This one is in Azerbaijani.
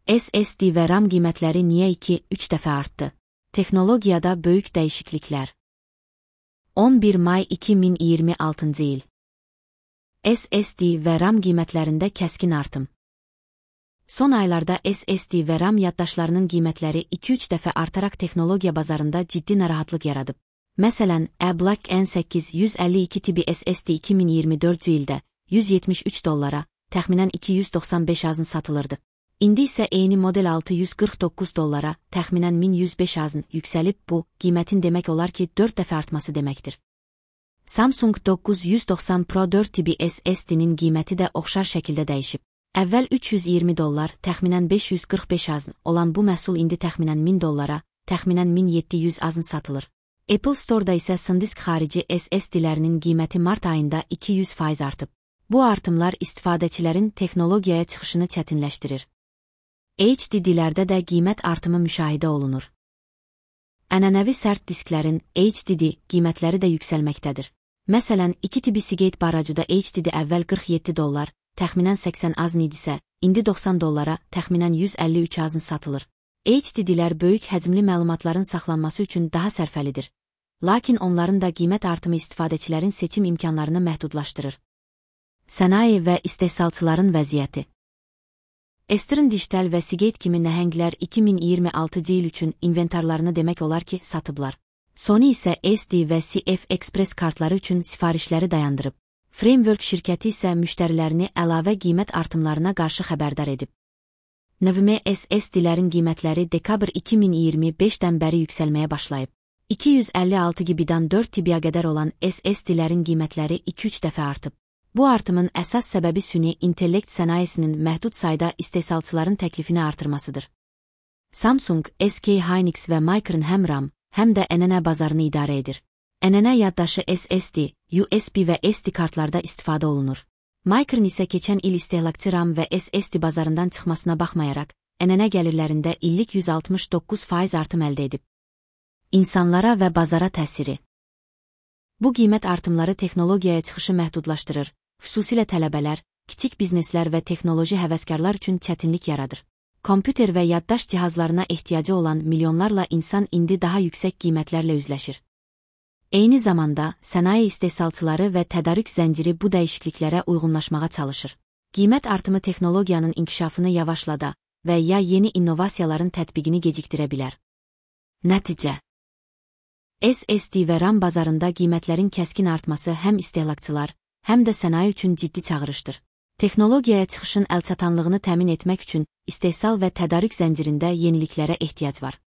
SSD və RAM qiymətləri niyə 2-3 dəfə artdı? Texnologiyada böyük dəyişikliklər. 11 may 2026-cı il. SSD və RAM qiymətlərində kəskin artım. Son aylarda SSD və RAM yaddaşlarının qiymətləri 2-3 dəfə artaraq texnologiya bazarında ciddi narahatlıq yaradıb. Məsələn, Black N8 152 tipi SSD 2024-cü ildə $173, təxminən 295 azın satılırdı. İndi isə eyni model $649, təxminən 1105 azın yüksəlib. Bu, qiymətin demək olar ki 4 dəfə artması deməkdir. Samsung 990 Pro 4 tipi SSD-nin qiyməti də oxşar şəkildə dəyişib. Əvvəl $320, təxminən 545 azın olan bu məhsul indi təxminən $1000, təxminən 1700 azın satılır. Apple Store-da isə SanDisk xarici SSD-lərinin qiyməti mart ayında 200% artıb. Bu artımlar istifadəçilərin texnologiyaya çıxışını çətinləşdirir. HDD-lərdə də qiymət artımı müşahidə olunur. Ənənəvi sərt disklərin HDD qiymətləri də yüksəlməkdədir. Məsələn, 2 tipi Seagate baracuda HDD əvvəl $47, təxminən 80 azın idisə, indi $90, təxminən 153 azın satılır. HDD-lər böyük həcmli məlumatların saxlanması üçün daha sərfəlidir. Lakin onların da qiymət artımı istifadəçilərin seçim imkanlarını məhdudlaşdırır. Sənaye və istehsalçıların vəziyyəti. Western Digital və Seagate kimi nəhənglər 2026-cı il üçün inventarlarını demək olar ki satıblar. Sony isə SD və CF Express kartları üçün sifarişləri dayandırıb. Framework şirkəti isə müştərilərini əlavə qiymət artımlarına qarşı xəbərdar edib. NVMe SSD-lərin qiymətləri dekabr 2025-dən bəri yüksəlməyə başlayıb. 256 GB-dan 4 TB-yə qədər olan SSD-lərin qiymətləri 2-3 dəfə artıb. Bu artımın əsas səbəbi süni intellekt sənayesinin məhdud sayda istehsalçıların təklifini artırmasıdır. Samsung, SK Hynix və Micron həm RAM, həm də ənənə bazarını idarə edir. Ənənə yaddaşı SSD, USB və SD kartlarda istifadə olunur. Micron isə keçən il istehlakçı RAM və SSD bazarından çıxmasına baxmayaraq, ənənə gəlirlərində illik 169% artım əldə edib. İnsanlara və bazara təsiri. Bu qiymət artımları texnologiyaya çıxışı məhdudlaşdırır, xüsusilə tələbələr, kiçik bizneslər və texnoloji həvəskarlar üçün çətinlik yaradır. Kompüter və yaddaş cihazlarına ehtiyacı olan milyonlarla insan indi daha yüksək qiymətlərlə üzləşir. Eyni zamanda, sənaye istehsalçıları və tədarük zənciri bu dəyişikliklərə uyğunlaşmağa çalışır. Qiymət artımı texnologiyanın inkişafını yavaşlada və ya yeni innovasiyaların tətbiqini gecikdirə bilər. Nəticə. SSD və RAM bazarında qiymətlərin kəskin artması həm istehlakçılar, həm də sənaye üçün ciddi çağırışdır. Texnologiyaya çıxışın əlçatanlığını təmin etmək üçün istehsal və tədarük zəncirində yeniliklərə ehtiyac var.